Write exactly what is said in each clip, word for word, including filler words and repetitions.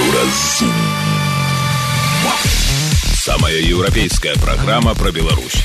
Еўразум. Самая еўрапейская праграма пра Беларусь.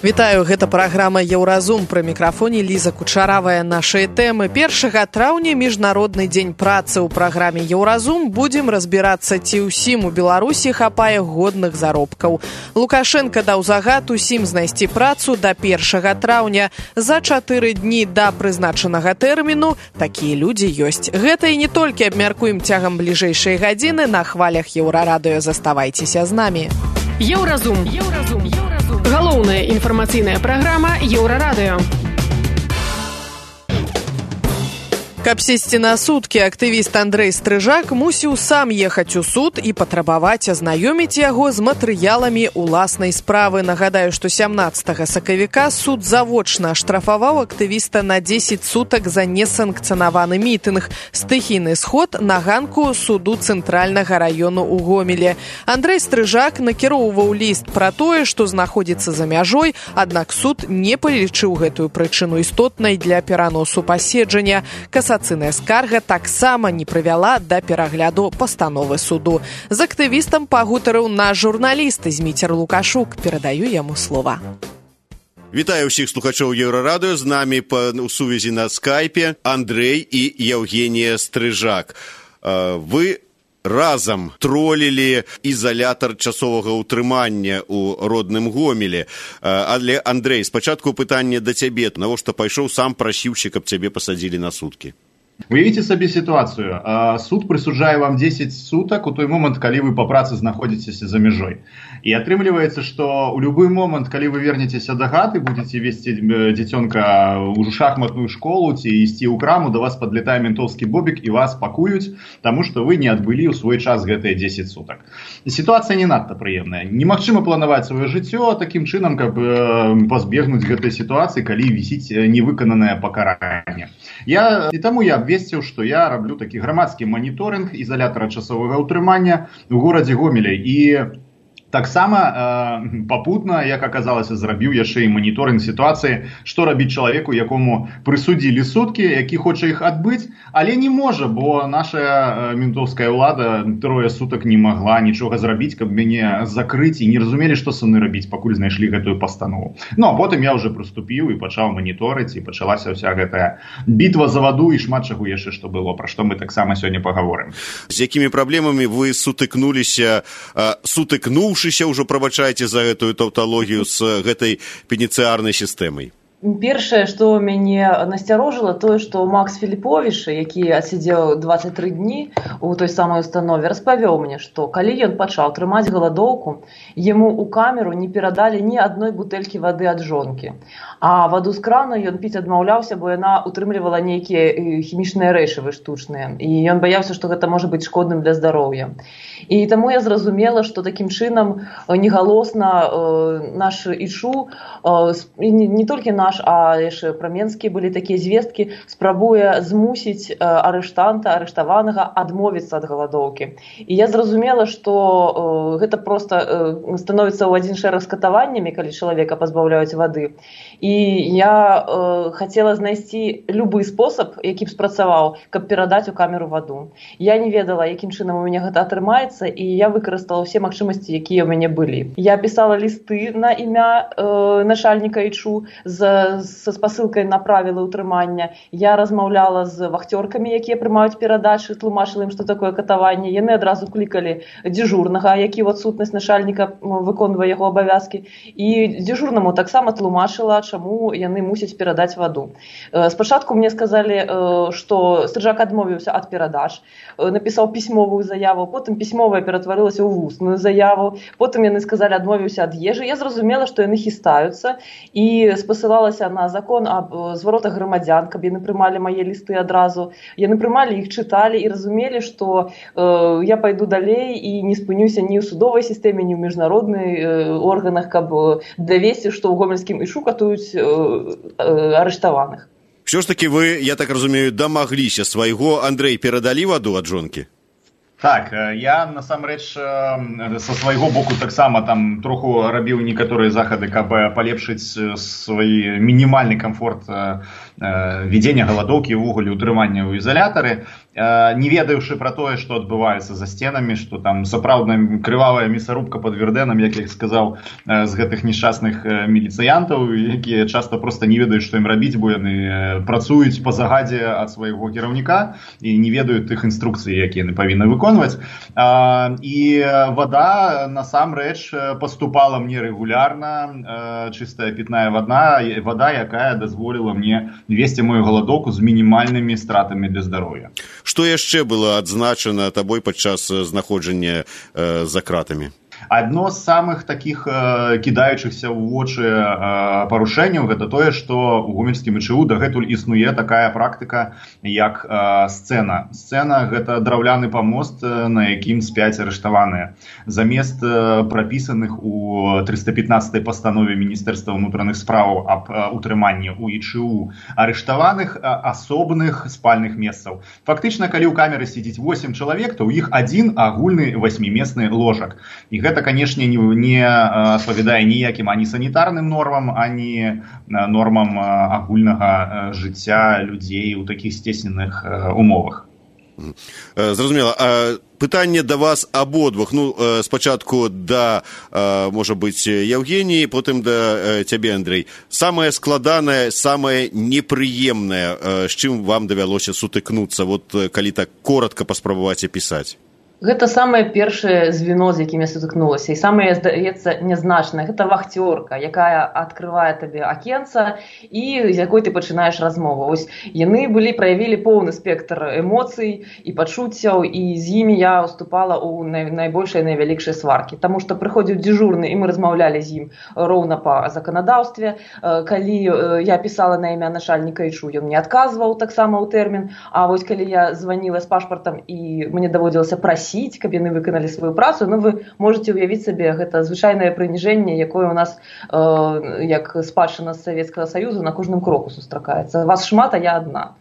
Вітаю, гэта праграма Еўразум. Пры мікрафоне Ліза Кучаравая. Нашыя тэмы. першага траўня міжнародны дзень працы. У праграме Еўразум будзем разбірацца, ці ўсім у Беларусі хапае годных заробкаў. Лукашенко даў загад усім знайсці працу да першага траўня. За чатыры дні да прызначанага тэрміну такія людзі ёсць. Гэта і не толькі абмяркуем цягам бліжэйшай гадзіны на хвалях Еўрарадыё. Заставайцеся з намі. Еўразум. Еўразум. Галоўная інфармацыйная праграма Еўрарадыё. Каб сесці на суткі, актывіст Андрэй Стрыжак мусіў сам ехаць у суд і патрабаваць азнаёміць яго з матэрыяламі ўласнай справы. Нагадаю, што сямнаццатага сакавіка суд завочна аштрафаваў актывіста на дзесяць сутак за несанкцыянаваны мітынг. Стыхійны сход на ганку суду цэнтральнага раёну ў Гомеле. Андрэй Стрыжак накіроўваў ліст пра тое, што знаходзіцца за мяжой, аднак суд не палічыў гэтую прычыну істотнай для пераносу паседжання. Касацыйная скарга таксама не прывяла да перагляду пастановы суду. З актывістам пагутарыў наш журналіст Зміцер Лукашук. Перадаю яму слова. Вітаю ўсіх слухачоў Еўрарадыё. З намі па сувязі на скайпе Андрэй і Евгенія Стрыжак. Вы разам тролілі ізалятар часовага ўтрымання ў родным Гомеле. Але, Андрэй, спачатку пытанне да цябе. Навошта пайшоў сам прасіўся, каб цябе пасадзілі на суткі? Уявіце сабе сітуацыю. Суд прысуджае вам дзесяць сутак у той момант, калі вы па працы знаходзіцеся за мяжой. І атрымліваецца, што ў любы момант, калі вы вернецеся да хаты, будзеце весці дзіцёнка ў шахматную школу ці ісці ў краму, да вас падлетае ментоўскі бобік і вас пакуюць, таму што вы не адбылі ў свой час гэтыя дзесяць сутак. Сітуацыя не надта прыемная. Немагчыма планаваць сваё жыццё такім чынам, каб пазбегнуць гэтай сітуацыі, калі вісіць невыкананае пакаранне. Я і таму я абвесціў, што я раблю такі грамадскі маніторынг ізалятара часовага ўтрымання ў горадзе Гомеле. І таксама э, папутна, як аказалася, зрабіў яшчэ і маніторынг сітуацыі, што рабіць чалавеку, якому прысудзілі суткі, які хоча іх адбыць, але не можа, бо наша э, ментовская ўлада трое сутак не магла нічога зрабіць, каб мяне закрыць, і не разумелі, што са мной рабіць, пакуль знайшлі гэтую пастанову. Ну, а потым я ўжо прыступіў і пачаў маніторыць, і пачалася ўся гэтая бітва за ваду і шмат чаго яшчэ што было, пра што мы таксама сёння пагаворым. З якімі праблемамі вы сутыкнуліся, э, сутыкнуўшы ўжо, прабачайце за гэтую таўталогію, з гэтай пеніцыярнай сістэмай? Першае, што мяне насцярожыла, тое, што Макс Філіповіч, які адсидзеў дваццаць тры дні у той самай установе, распавёў мне, што калі ён пачаў трымаць галадоўку, яму ў камеру не перадалі ні адной бутэлькі вады ад жонкі. А ваду з крана ён піць адмаўляўся, бо яна утрымлівала нейкія хімічныя рэчывы штучныя. І ён баяўся, што гэта можа быць шкодным для здароўя. І таму я зразумела, што такім чынам негалосна э, наш ІЧУ, э, не, не толькі наш, а яшчэ праменскія былі такія звесткі, спрабуе змусіць э, арыштанта, арыштаванага адмовіцца ад галадоўкі. І я зразумела, што э, гэта проста э, становіцца ў адзін шэраг з катаваннямі, калі чалавека пазбаўляюць вады. І я э, хацела знайсці любы спосаб, які б спрацаваў, каб перадаць у камеру ваду. Я не ведала, якім чынам у мяне гэта атрымаецца, і я выкарыстала ўсе магчымасці, якія ў мяне былі. Я пісала лісты на імя э, начальніка ІЧУ з, з спасылкай на правілы ўтрымання. Я размаўляла з вахцёркамі, якія прымаюць перадачы, тлумачыла ім, што такое катаванне. Яны адразу клікалі дзежурнага, які ў адсутнасць начальніка выконвае яго абавязкі. І дзежурнаму таксама тлумачыла, чаму яны мусяць перадаць ваду. Спачатку мне сказалі, што Стрыжак адмовіўся ад перадач, напісаў пісьмовую заяву, потым пісьмовая ператварылася ў вусную заяву, потым яны сказалі, адмовіўся ад ежы. Я зразумела, што яны хістаюцца, і спасылалася на закон аб зваротах грамадзян, каб яны прымалі мае лісты адразу. Яны прымалі іх, чыталі і разумелі, што э, я пайду далей і не спынюся ні ў судовай сістэме, ні ў міжнародных э, органах, каб давесці, што ў гомельскім ІЧУ катуюць э, э, арыштаваных. Що ж таки ви, я так розумію, домоглися свайго. Андрэй, перадалі ваду ад жонкі? Так, я насамрэч са свайго боку таксама там троху рабіў некаторыя захады, каб палепшыць свой мінімальны камфорт вядзення галадоўкі, увогуле ўтрымання ў ізалятары, не ведаючы пра тое, што адбываецца за сценамі, што там сапраўдная крывавая мясарубка пад Вердэнам, як я сказаў, з гэтых несчастных міліцыянтаў, якія часта проста не ведаюць, што ім рабіць, бо яны працуюць па загадзе ад свайго кіраўніка і не ведаюць тых інструкцый, якія яны павінны выконваць. І вада насамрэч паступала мне рэгулярна, чыстая пітная вада, вада, якая дазволіла мне весці мою галадоўку з мінімальнымі стратамі для здароўя. Што яшчэ было адзначана табой падчас знаходжання э, за кратамі? Адно з самых такіх э, кідаючыхся ў вочы э, парушэнняў гэта тое, што ў гомельскім ІЧУ дагэтуль існуе такая практыка, як э, сцэна. Сцэна – гэта драўляны памост, на якім спяць арыштаваныя. Замест э, прапісаных у трыста пятнадцатай пастанове Міністэрства ўнутраных спраў аб э, утрыманні ў ІЧУ арыштаваных э, асобных спальных месцаў. Фактычна, калі ў камеры сядзіць восем чалавек, то ў іх адзін агульны васьмімесны ложак. І гэта, канешне, не, не адпавядае ніякім ані санітарным нормам, ані нормам агульнага жыцця людзей у такіх сцесненых умовах. Зразумела. Пытанне да вас абодвух. Ну, спачатку да, можа быць, Евгеніі, потым да цябе, Андрэй. Самае складанае, самае непрыемнае, з чым вам давялося сутыкнуцца, вот калі так коротка паспрабаваць апісаць? Гэта самае першае звено, з якім я сутыкнулася, і самае, здаецца, нязначнае. Гэта вахцёрка, якая адкрывае табе акенца і з якой ты пачынаеш размову. Вось яны былі, праявілі поўны спектр эмоцый і пачуццяў, і з імі я уступала ў най, найбольшай, найвялікшай сваркі. Таму што прыходзіў дзежурны, і мы размаўлялі з ім роўна па заканадаўстве. Калі я пісала на імя начальніка ІЧУ, ён мне адказваў таксама ў тэрмін, а вось калі я званіла з пашпартам і мне даводзілася прасіць, каб яны выканалі сваю працу, ну вы можете ўявіць сабе, гэта звычайнае прыніжэнне, якое у нас э, як спадчына з Савецкага Саюзу на кожным кроку сустракаецца. Вас шмат, а я адна.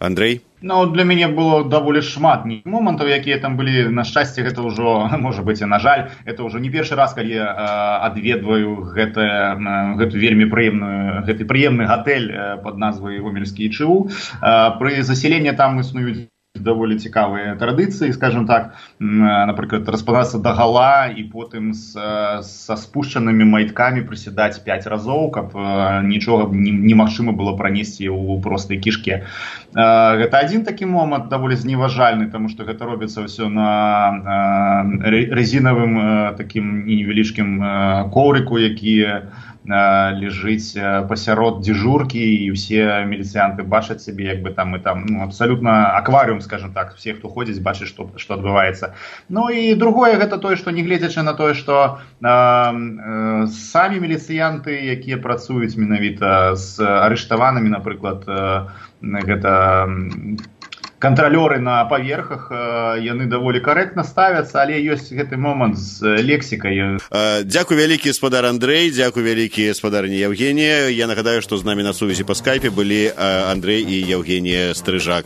Андрэй? Ну, для мяне было даволі шмат момантаў, якія там былі. На шчасце, гэта ўжо, можа быць, і на жаль, это ўжо не першы раз, калі я э, адведваю гэта, э, гэту вельмі прыемную, гэты прыемны гатэль э, пад назвай гомельскі ІЧУ. Э, пры засяленні там існуюць даволі цікавыя традыцыі, скажем так, напрыклад, распадацца дагала і потым са спушчанымі майткамі прысядаць пяць разоў, каб нічога немагчыма было пранесці ў простай кішке. Гэта адзін такі момант даволі зневажальны, таму што гэта робіцца ўсё на резінавым такім невялічкім коврыку, які лежыць пасярод дзежуркі, і ўсе міліцыянты бачаць сябе, як бы там і там, ну, абсалютна акварыум, скажем так, все, хто ходзіць, бачыць, што, што адбываецца. Ну і другое, гэта тое, што нягледзячы на тое, што э, э, самі міліцыянты, якія працуюць менавіта з арыштаванымі, напрыклад, э, гэта кантралёры на паверхах, яны даволі карэктна ставяцца, але ёсць гэты момант з лексікай. Дзякуй вялікі, спадар Андрэй, дзякуй вялікі, спадарня Евгенія. Я нагадаю, што з намі на сувязі па скайпе былі Андрэй і Евгенія Стрыжак.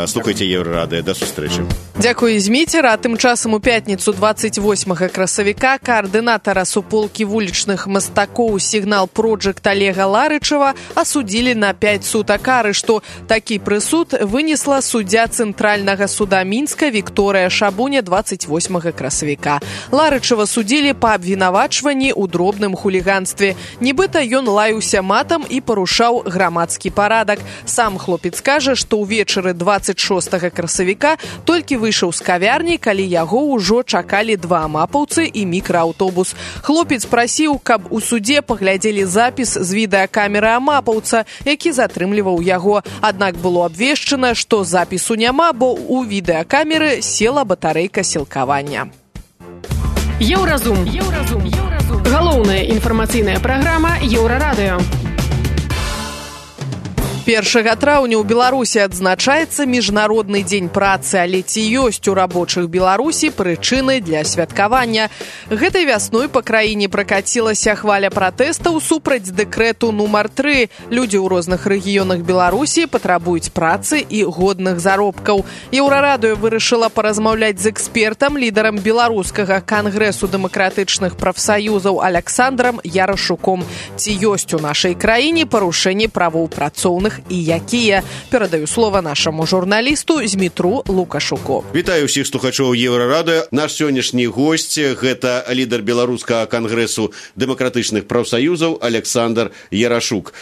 Слухайце Еўрарадыё, да сустрэчы. Дзякуй, Зміцер. А тым часам у пятніцу дваццаць восьмага красавіка каардынатара суполкі вулічных мастакоў «Сігнал Проджект» Олега Ларычева асудзілі на пяць сутак кары, што такі прысуд вынесла суддзя Цэнтральнага суда Мінска Вікторыя Шабуня дваццаць восьмага красавіка. Ларычева судзілі па абвінавачванні ў дробным хуліганстве. Нібыта ён лаяўся матам і парушаў грамадскі парадак. Сам хлопец кажа, што ўвечары дваццаць шостага красавіка толькі выйшаў з кавярні, калі яго ўжо чакалі два мапаўцы і мікрааўтобус. Хлопец прасіў, каб у судзе паглядзелі запіс з відэакамеры мапаўца, які затрымліваў яго. Аднак было абвешчана, што запісу няма, бо у відэакамеры села батарэйка сілкавання. Еўразум. Еўразум. Еўразум. Галоўная інфармацыйная праграма Еўрарадыё. першага траўня ў Беларусі адзначаецца міжнародны дзень працы, але ці ёсць у рабочых Беларусі прычыны для святкавання. Гэтай вясной па краіне пракацілася хваля пратэстаў супраць дэкрэту нумар тры. Людзі ў розных рэгіёнах Беларусі патрабуюць працы і годных заробкаў. Еўрарадыё вырашыла паразмаўляць з экспертам, лідарам беларускага кангрэсу дэмакратычных прафсаюзаў Аляксандрам Ярашуком. Ці ёсць у нашай краіне парушэнні правоў працоўных справах і якія. Перадаю слова нашаму журналісту Змітру Лукашуку. Вітаю ўсіх слухачоў Еўрарадыё. Наш сённяшні госць – гэта лідар беларускага кангрэсу дэмакратычных прафсаюзаў Александр Ярашук.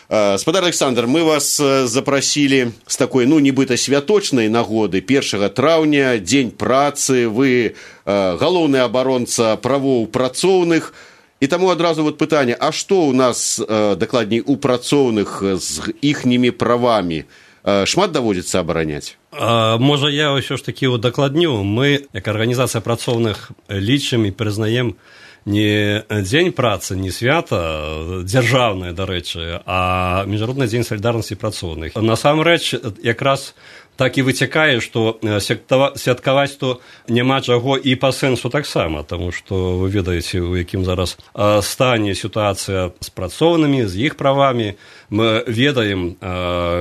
Спадар Александр, мы вас запросили с такой, ну, нібыта святочнай нагоды. першага траўня, дзень працы, вы галоўны абаронца правоў працоўных. І таму адразу вот пытанне, а што ў нас, дакладней, у працоўных з іхнімі правамі? Шмат даводзіцца абараняць? А, можа, я ўсё ж такі удакладню. Мы, як арганізацыя працоўных, лічым і прызнаем не дзень працы, не свята дзяржаўнае, дарэчы, а міжнародны дзень салідарнасці працоўных. Насамрэч, якраз так і выцякае, што святкаваць то няма чаго і па сэнсу таксама, таму што вы ведаеце, у якім зараз стане сітуацыя з працоўнымі, з іх правамі. Мы ведаем,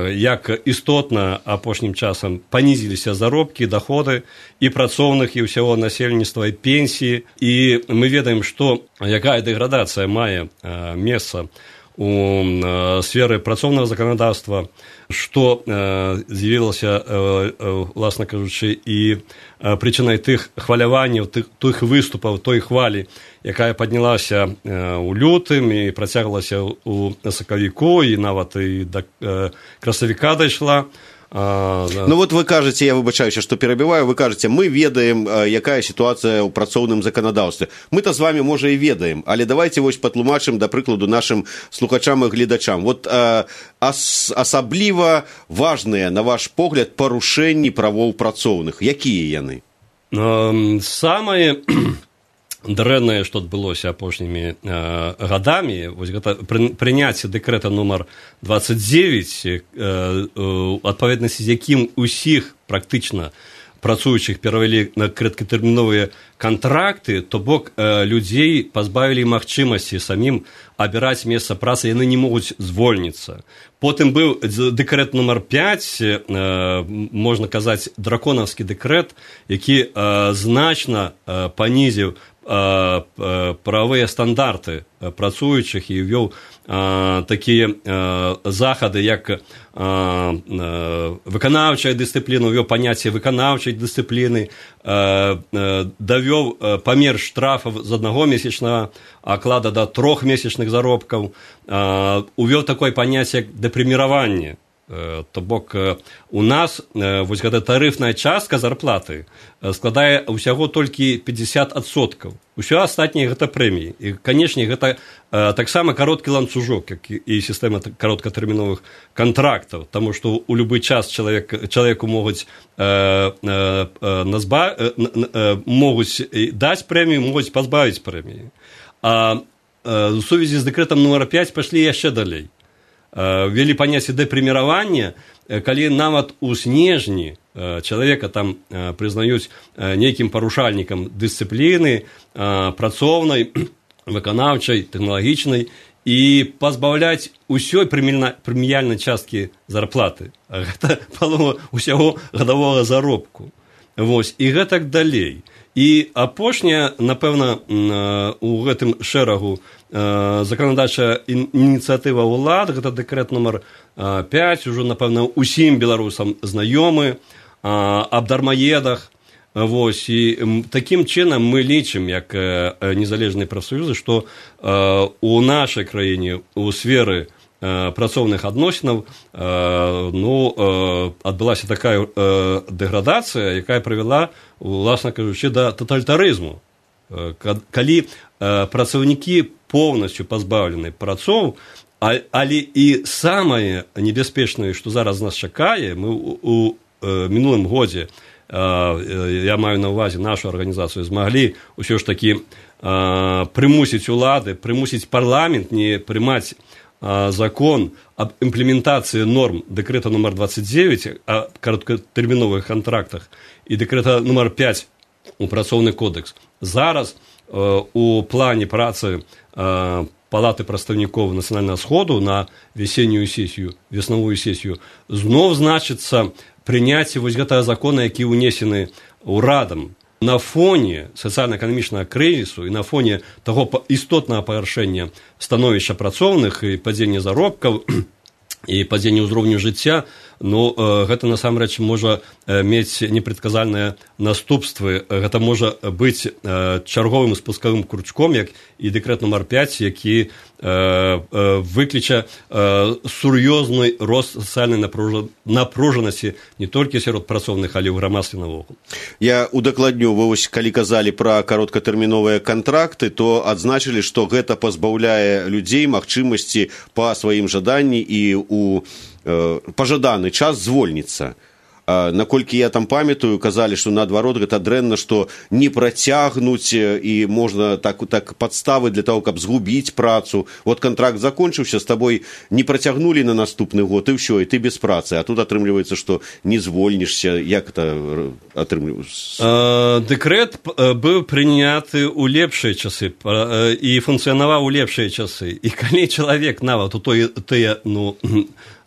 як істотна апошнім часам панізіліся заробкі, даходы і працоўных, і ўсяго насельніцтва, і пенсіі. І мы ведаем, што якая дэградацыя мае месца у сферы працоўнага заканадаўства, што з'явілася, власна кажучы, і прычынай тых хваляванняў, тых, тых выступаў, той хвалі, якая паднялася ў лютым і працягвалася ў сакавіку, і нават і да красавіка дайшла. А, да. Ну вот вы кажаце, я выбачаюся, што перабіваю, вы кажаце, мы ведаем, якая сітуацыя ў працоўным заканадаўстве. Мы-то з вами, можа, і ведаем, але давайте вось патлумачым, да прыкладу, нашым слухачам і гледачам. Вот а, ас, асабліва важныя, на ваш погляд, парушэнні правоў працоўных. Якія яны? Самае дрэннае, што адбылося апошнімі э, гадамі, вось гэта пры, прыняцце дэкрэта нумар двадцать девять, э, э, адпаведнасці з якім усіх практычна працуючых перавялі на кароткатэрміновыя кантракты, то бок э, людзей пазбавілі магчымасці самім абіраць месца працы, яны не могуць звольніцца. Потым быў дэкрэт нумар пять, э, можна казаць, драконаўскі дэкрэт, які э, значна э, панізіў правовыя стандарты працуючых і ўвёў такія захады, як выканаўчая дысцыпліна, увёў паняцце выканаўчай дысцыпліны, давёў памер штрафаў з аднаго месячнага аклада да трох месячных заробкаў, увёў такое паняцце, як дэпрэміраванне. То бок у нас вось гэта тарыфная частка зарплаты складае ўсяго толькі пятьдесят адсоткаў. Усё астатняе гэта прэміі. І, канешне, гэта таксама кароткі ланцужок, як і сістэма кароткатэрміновых кантрактаў, таму што ў любы час чалавек, чалавеку могуць, э, э, назба, э, э, могуць даць прэмію, могуць пазбавіць прэміі. А э, у сувязі з дэкрэтам нумар пять пайшлі яшчэ далей. Ввели паняцце дэпрэміравання, калі нават у снежні чалавека там прызнаюць нейкім парушальнікам дысцыпліны, працоўнай, выканаўчай, тэхналагічнай, і пазбаўляць усёй прэміяльнай часткі зарплаты. Гэта палова ўсяго гадавога заробку. Вось, і гэтак далей. І апошняя, напэўна, у гэтым шэрагу заканадаўчая ініцыятыва ўлад, гэта дэкрэт нумар пять, ужо, напэўна, усім беларусам знаёмы, аб дармаедах. Вось, і такім чынам мы лічым, як незалежныя прафсаюзы, што у нашай краіне у сферы працоўных адносінаў ну, адбылася такая дэградацыя, якая прывяла, уласна кажучы, да таталітарызму. Калі працаўнікі поўнасцю пазбаўлены працоў, але і самае небяспечнае, што зараз нас чакае, мы у мінулым годзе, я маю на ўвазе нашу арганізацыю, змаглі ўсё ж такі прымусіць улады, прымусіць парламент не прымаць закон об имплементации норм дэкрэта нумар двадцать девять о кароткатэрміновых контрактах и дэкрэта нумар пять у працоўны кодекс. Зараз э, у плане працы э, Палаты прадстаўнікоў Нацыянальнага сходу на весеннюю сесію, веснавую сесію знов значыцца прыняцце вось гэтага закона, які ўнесены ўрадам. На фоне сацыяльна-эканамічнага крызісу і на фоне таго істотнага пагаршэння становішча працоўных і падзення заробкаў і падзенне ўзроўню жыцця, ну, гэта насамрэч можа мець непрадказальныя наступствы. Гэта можа быць чарговым спускавым кручком, як і дэкрэт нумар пяць, які выкліча сур'ёзны рост сацыяльнай напружанасці не толькі сярод працоўных, але ў грамадстве навокал. Я удакладню, вы вось калі казалі пра кароткатэрміновыя кантракты, то адзначылі, што гэта пазбаўляе людзей магчымасці па сваім жаданні і у пажаданы час звольніцца. Наколькі я там памятаю, казалі, што наадварот гэта дрэнна, што не працягнуць і можна так, так падставы для того, каб згубіць працу. Вот контракт закончыўся, з табой не працягнулі на наступны год, і ўсё, і ты без працы. А тут атрымліваецца, што не звольнішся. Як это атрымліваецца? Дэкрэт быў прыняты ў лепшыя часы і функцыянаваў у лепшыя часы. І калі чалавек нават у той, тыя, ну,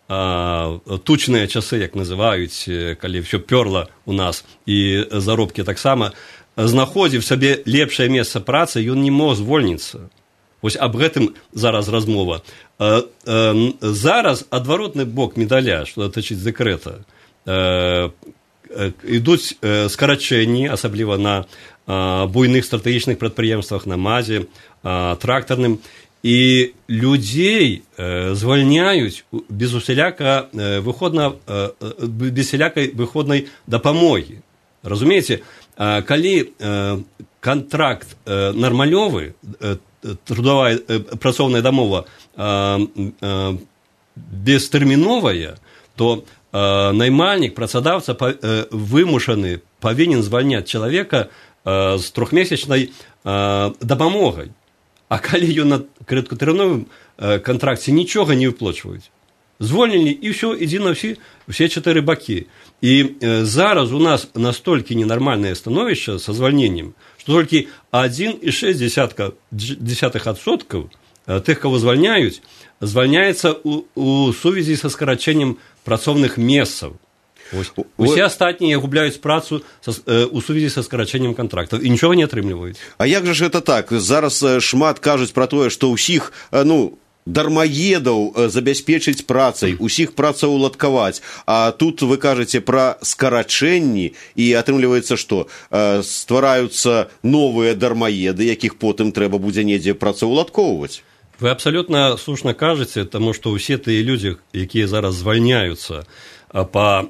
тучныя часы, як называюць, калі ўсё пёрла у нас, і заробкі таксама, знаходзіў сабе лепшае месца працы, ён не мог звольніцца. Вось аб гэтым зараз размова. Зараз адваротны бок медаля, што датычыць дэкрэта, ідуць скарачэнні, асабліва на буйных стратэгічных прадпрыемствах, на МАЗе, трактарным, і людзей э, звальняюць без усяляка э, выходна, э, без усялякай выходнай дапамогі. Разумееце, э, калі э, кантракт э, нармалёвы, э, трудовая э, працоўная дамова э, э, бестэрміновая, то э, наймальнік, працадаўца па, э, вымушаны павінен звальняць чалавека э, з трохмесячнай э, дапамогай. А калі ён на кароткатэрміновым кантракце нічога не выплачваюць, звольнілі, і ўсё, ідзі на ўсе, усе чатыры бакі. І э, зараз у нас настолькі ненармальнае становішча са звальненнем, што толькі адзін і шэсць дзесятых адсоткаў тых, каго звальняюць, звальняецца ў, у сувязі са скарачэннем працоўных месцаў. Ось. Усе астатнія губляюць працу са, э, у сувязі са скарачэннем кантрактаў і нічога не атрымліваюць. А як жа ж гэта так? Зараз шмат кажуць пра тое, што ўсіх, ну, дармаедаў забяспечыць працай, усіх працаўладкаваць. А тут вы кажаце пра скарачэнні, і атрымліваецца, што ствараюцца новыя дармаеды, якіх потым трэба будзе недзе працаўладкоўваць. Вы абсалютна слушна кажаце, таму што ўсе тыя людзі, якія зараз звальняюцца па,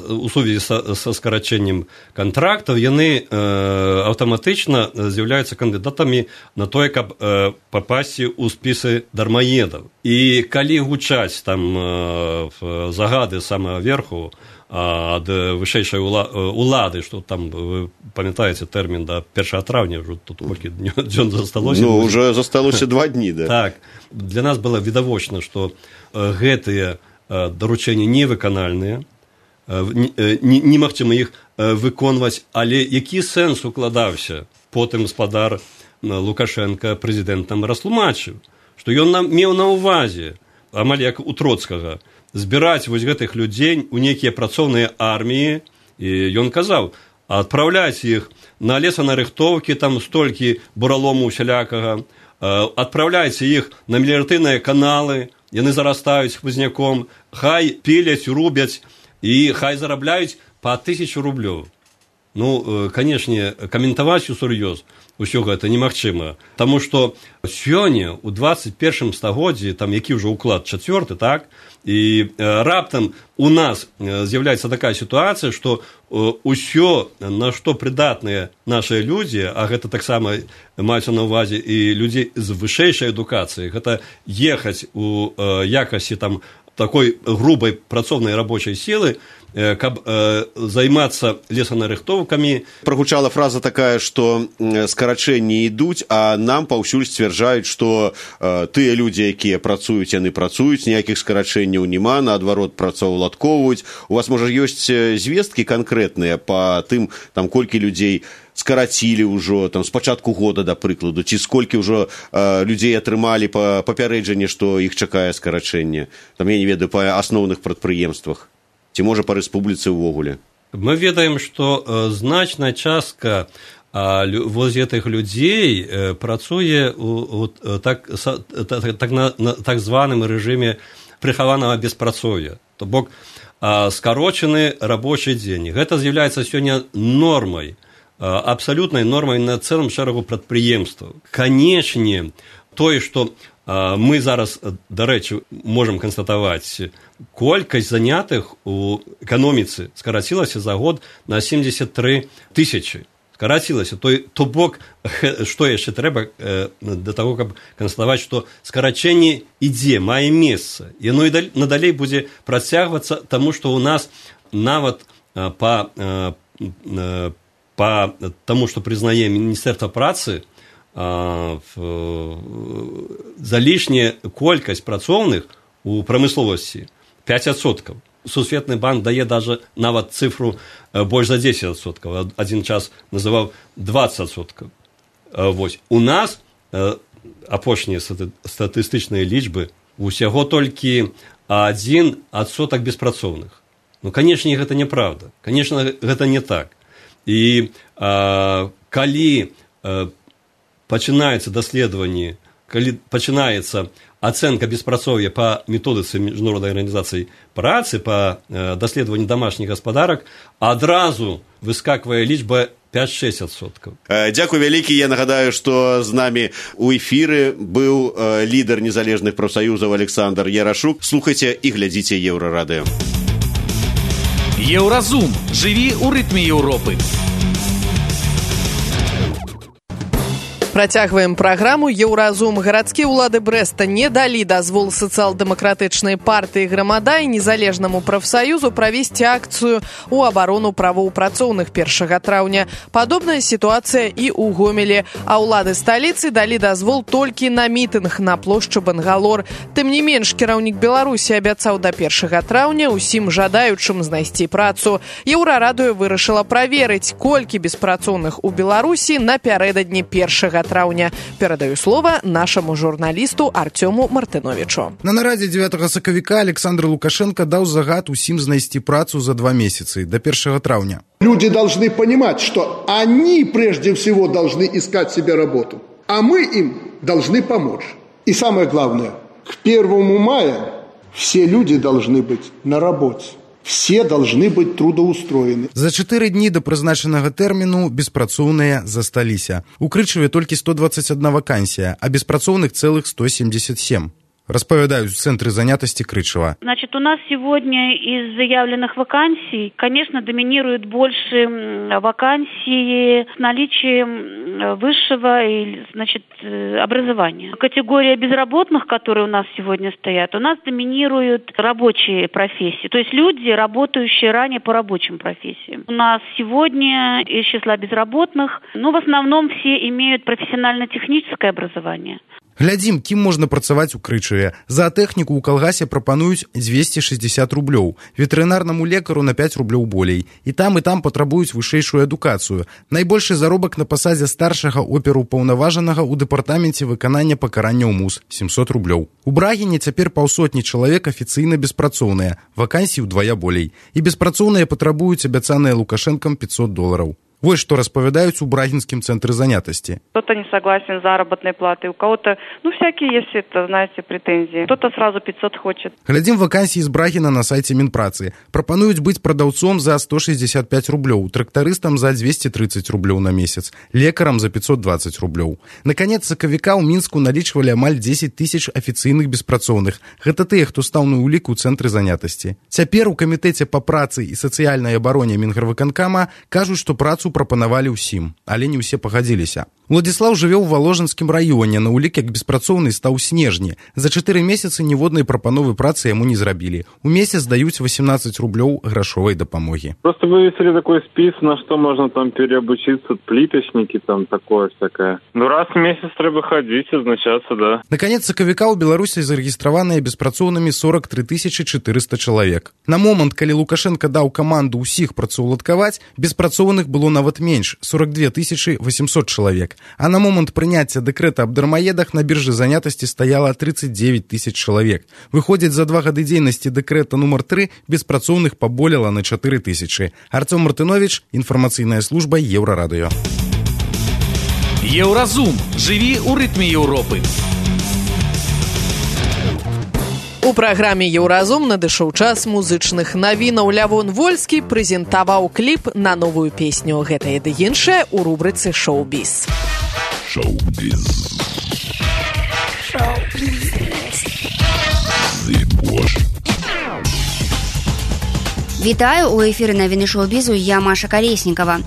у сувязі са, са скарачэннем кантрактаў, яны э, аўтаматычна з'яўляюцца кандыдатамі на тое, каб э, папасці ў спісы дармаедаў. І калі гучаць там э, загады самага верху ад вышэйшай улады, што там, вы памятаеце тэрмін да першага траўня, ўжо тут колькі дзён засталося. Ну, ўжо засталося два дні, да. Так. Для нас было відавочна, што гэтыя даручэнні невыканальныя, немагчыма іх выконваць, але які сэнс укладаўся? Потым гаспадар Лукашенко прэзідэнтам растлумачыў, што ён нам меў на ўвазе, амаль як у Троцкага, збіраць вось гэтых людзей у нейкія працоўныя арміі, і ён казаў, адпраўляць іх на лесанарыхтоўкі, там столькі буралому усялякага, адпраўляйце іх на меліярацыйныя каналы, яны зарастаюць хмызняком, хай піляць, рубяць, і хай зарабляюць па тысячу рублёў. Ну, канешне, каментаваць усур'ёз усё гэта немагчыма, таму што сёння, у дваццаць першым стагоддзі, там які ўжо ўклад чацвёрты, так, і э, раптам у нас з'яўляецца такая сітуацыя, што э, ўсё, на што прыдатныя нашыя людзі, а гэта таксама маюцца на ўвазе і людзей з вышэйшай адукацыі, гэта ехаць у э, якасці там такой грубай працоўнай рабочай сілы, каб э, займацца лесанарыхтоўкамі. Прагучала фраза такая, што скарачэнні ідуць, а нам паўсюль сцвярджаюць, што э, тыя людзі, якія працуюць, яны працуюць, ніякіх скарачэнняў няма, наадварот працаўладкоўваюць. У вас, можа, ёсць звесткі канкрэтныя па тым, там, колькі людзей скарацілі ўжо, там, з пачатку года, да прыкладу, ці сколькі ўжо э, людзей атрымалі па папярэджанне, што іх чакае скарачэнне, там, я не ведаю, па асноўных прадпрыемствах, ці можа па рэспубліцы ўвогуле? Мы ведаем, што э, значная частка э, воз гэтых людзей э, працуе у, у так, са, так, так, на, на так званым рэжыме прыхаванага беспрацоўя, то бок скарочаны рабочы дзень. Гэта з'яўляецца сёння нормай, абсалютнай нормай на цэлым шэрагу прадпрыемстваў. Канечне, тое, што мы зараз, дарэчы, можам канстатаваць, колькасць занятых у эканоміцы скарацілася за год на семьдесят тры тысячы. Скарацілася. То, то бок, што яшчэ трэба для таго, каб канстатаваць, што скарачэнне ідзе, мае месца. Яно і надалей будзе працягвацца, таму што ў нас нават па, па таму, што прызнае Міністэрства працы, залішняя колькасць працоўных у прамысловасці пяць адсоткаў. Сусветны банк дае даже нават цифру больш за дзесяць адсоткаў. Адзін час называў дваццаць адсоткаў. Вось. У нас апошнія статыстычныя лічбы усяго толькі адзін адсотак беспрацоўных. Ну, канешне, гэта неправда. Канешне, гэта не так. І а, калі а, пачынаецца даследаванне, калі пачынаецца ацэнка беспрацоўя па методыцы міжнароднай арганізацыі працы, па даследаванні дамашніх гаспадарак, адразу выскаквае лічба пяць-шэсць адсоткаў. Дзякуй вялікі. Я нагадаю, што з намі ў эфіры быў лідар незалежных прафсаюзаў Александр Ярашук. Слухайце і глядзіце Еўрарадыё. Еўразум. Жыві ў рытме Еўропы. Працягваем праграму «Еўразум». Гарадскія ўлады Брэста не далі дазвол сацыял-дэмакратычнай партыі «Грамада» і незалежнаму прафсаюзу правесці акцыю ў абарону правоў працоўных першага траўня. Падобная сітуацыя і ў Гомелі, а ўлады сталіцы далі дазвол толькі на мітынг на плошчы Бангалор. Тым не менш, кіраўнік Беларусі абяцаў да першага траўня усім жадаючым знайсці працу. Еўрарадыё вырашыла праверыць, колькі беспрацоўных у Беларусі напярэдадні першага траўня. Перадаю слова нашаму журналісту Артёму Мартыновичу. На нарадзе дзевятага сакавіка Александр Лукашенко даў загад усім знайсці працу за два месяцы, до першага траўня. Люди должны понимать, что они прежде всего должны искать себе работу, а мы им должны помочь. И самое главное, к первому мая все люди должны быть на работе. Все должны быть трудоустроены. За чатыры дні да прызначанага тэрміну беспрацоўныя засталіся. У Крычаве толькі сто двадцать одна вакансія, а беспрацоўных цэлых сто семьдесят семь. Распавядаюць в Центре занятости Крычева. Значит, у нас сегодня из заявленных вакансий, конечно, доминируют больше вакансии с наличием высшего, значит, образования. Категория безработных, которые у нас сегодня стоят, у нас доминируют рабочие профессии, то есть люди, работающие ранее по рабочим профессиям. У нас сегодня из числа безработных, ну, в основном все имеют профессионально-техническое образование. Глядзім, кім можна працаваць у Крычаве. За тэхніку ў калгасе прапануюць двести шестьдесят рублёў, ветэрынарнаму лекару на пять рублёў болей. І там, і там патрабуюць вышэйшую адукацыю. Найбольшы заробак на пасадзе старшага операўпаўнаважанага ў дэпартаменце выканання пакарання ў МУС – семьсот рублёў. У Брагіне цяпер паўсотні чалавек афіцыйна беспрацоўныя, вакансій удвая болей. І беспрацоўныя патрабуюць абяцаныя Лукашэнкам пятьсот долларов. Вот что распавядаюць у Брагинском центре занятости. Кто-то не согласен с заработной платой, у кого-то, ну, всякие есть, это, знаете, претензии. Кто-то сразу пятьсот хочет. Глядим вакансии из Брагина на сайте Минпрацы. Пропонуют быть продавцом за сто шестьдесят пять рублёў, трактористом за двести тридцать рублёў на месяц, лекаром за пятьсот двадцать рублёў. Наконец, сакавіка ў Мінску налічвалі амаль десять тысяч афіцыйных беспрацоўных. Гэта тыя, хто стаў на ўліку ў цэнтры занятасці. Цяпер у камітэце па працы і сацыяльнай абароне Мінгарвыканкама кажуць, што працу прапанавалі ўсім, але не ўсе пагадзіліся. Уладзіслаў жыве ў Валожынскім раёне, на ўлік як беспрацоўны стаў снежні. За чатыры месяцы ніводнай прапановы працы яму не зрабілі. У месяц даюць восемнадцать рублёў грашовай дапамогі. Просто вывесили такой спис, на что можно там переобучиться, плиточники, там такое всякое. Ну раз в месяц трэба ходить, означаться, да. Наконец, сакавіка ў Беларусі зарэгістраваныя беспрацоўнымі сорок три тысячи четыреста чалавек. На момант, калі Лукашенко даў каманду ўсіх працаўладкаваць, беспрацоўных было нават менш – сорок две тысячи восемьсот чалавек. А на момент прыняцця дэкрэта аб дармаедах на біржы занятасці стаяла тридцать девять тысяч чалавек. Выходзіць, за два гады дзейнасці дэкрэта нумар три беспрацоўных паболела на четыре тысячи. Артём Мартынович, інфармацыйная служба Еўрарадыё. Еўразум. Жыві ў рытме Еўропы. У праграме «Еўразум» надышоў час музычных навінаў. Лявон Вольскі прэзентаваў кліп на новую песню «Гэтае ды іншае» у рубрыцы «Шоу-біз». Шоу-біз. Шоу-біз. Вітаю, у эфіры навіны шоу-бізу, я Маша Калеснікава.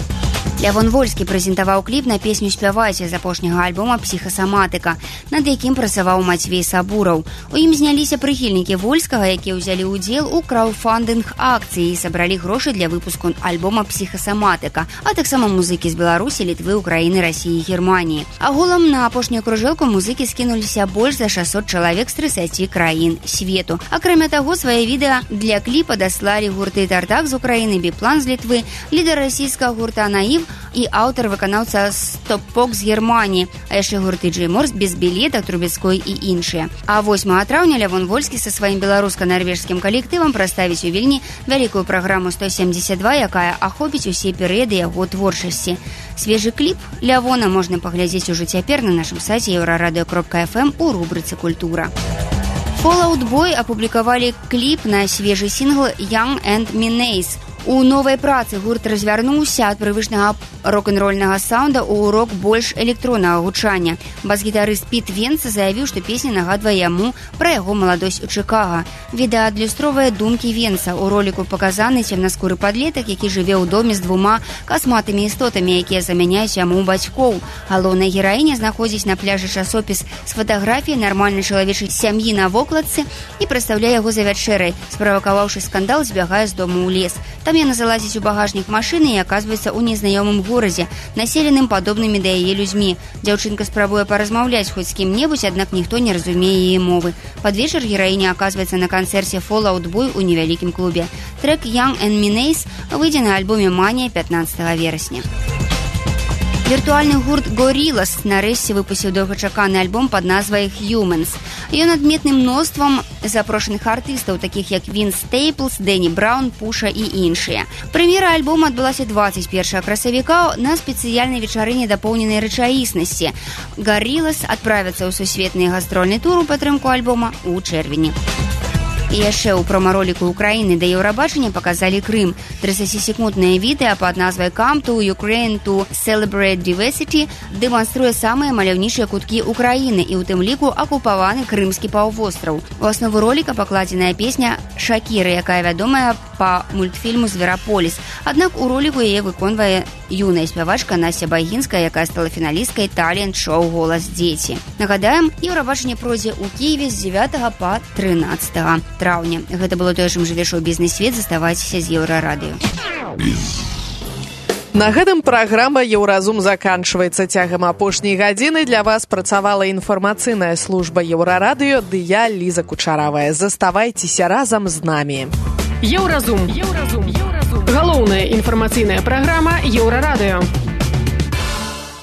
Лявон Вольскі прэзентаваў кліп на песню «Спявайце» з апошняга альбома «Псіхасаматыка», над якім працаваў Мацвей Сабураў. У ім зняліся прыхільнікі Вольскага, якія ўзялі ўдзел у краўдфандынг акцыі і сабралі грошы для выпуску альбома «Псіхасаматыка», а таксама музыкі з Беларусі, Літвы, Украіны, Расіі і Германіі. Аголам на апошнюю кружэлку музыкі скінуліся больш за шэсцьсот чалавек з трыццаці краін свету. Акрамя таго, свае відэа для кліпа даслалі гурты «Тартак» з Украіны, «Біплан» з Літвы, лідар расійскага гурта «Наив» і аўтар-выканаўца «Стоп-пок» з Германіі, а яшчэ гурты «Джейморс», «Без білета», «Трубецкой» і іншыя. А восьмага траўня Лявон Вольскі са сваім беларуска-нарвежскім калектывам праставіць у Вільні вялікую праграму сто семьдесят два, якая ахопіць усе перыяды яго творчасці. Свежы кліп Лявона можна паглядзець ужо цяпер на нашым сайце еўрарадыё кропка эф эм у рубрыцы «Культура». Fall Out Boy апублікавалі кліп на свежы сінгл «Young and Menace». У новай працы гурт развярнуўся ад прывычнага рок-н-рольнага саунда ў рок больш электроннага гучання. Бас-гітарыст Піт Венца заявіў, што песня нагадвае яму пра яго маладосць у Чыкага. Відэа адлюстроўвае думкі Венца. У роліку паказаны цемнаскуры падлетак, які жыве ў доме з двума касматымі істотамі, якія замяняюць яму бацькоў. Галоўная гераіня знаходзіць на пляжы часопіс з фатаграфіяй нармальнай чалавечай сям'і на вокладцы і прадстаўляе яго за вячэрай. Справакаваўшы скандал, збягае з дому ў лес. Там яна залазіць у багажнік машыны і аказваецца ў незнаёмым горадзе, населеным падобнымі да яе людзьмі. Дзяўчынка спрабуе паразмаўляць хоць з кім-небудзь, аднак ніхто не разумее яе мовы. Пад вечар гераіня аказваецца на канцэрце Fall Out Boy у невялікім клубе. Трэк «Young and Menace» выйдзе на альбоме «Манія» пятнадцатага верасня. Віртуальны гурт Gorillaz нарэшце выпусціў доўгачаканы альбом пад назвай «Humans». Ён адметны мноствам запрошаных артыстаў, такіх як Вінс Стейплс, Дэнні Браун, Пуша і іншыя. Прэм'ера альбома адбылася дваццаць першага красавіка на спецыяльнай вечарыне дапоўненай рэчаіснасці. Gorillaz адправяцца ў сусветны гастрольны тур у падтрымку альбома ў чэрвені. І яшчэ ў промароліку Украіны да Еўрабачання паказалі Крым. трыццацісекунднае відэа пад назвай «Come to Ukraine to Celebrate Diversity» дэманструе самыя маляўнічыя куткі Украіны і ў тым ліку акупаваны крымскі паўвостраў. У аснову роліка пакладзеная песня «Шакіры», якая вядомая па мультфільму «Звераполіс». Аднак у роліку яе выконвае юная спявачка Настя Байгінская, якая стала фіналісткай талент-шоу «Голас дзеці». Нагадаем, Еўрабачанне пройдзе ў Кіеве з дзевятага па трынаццатага траўня. Гэта было тое, чым жыве шоу-бізнес-свет. Заставайцеся з Еўрарадыё. На гэтым праграма «Еўразум» заканчваецца. Цягам апошняй гадзіны для вас працавала інфармацыйная служба Еўрарадыё, ды я, Ліза Кучаравая. Заставайцеся разам з намі. Еўразум. Еўразум. Галоўная інфармацыйная праграма Еўрарадыё.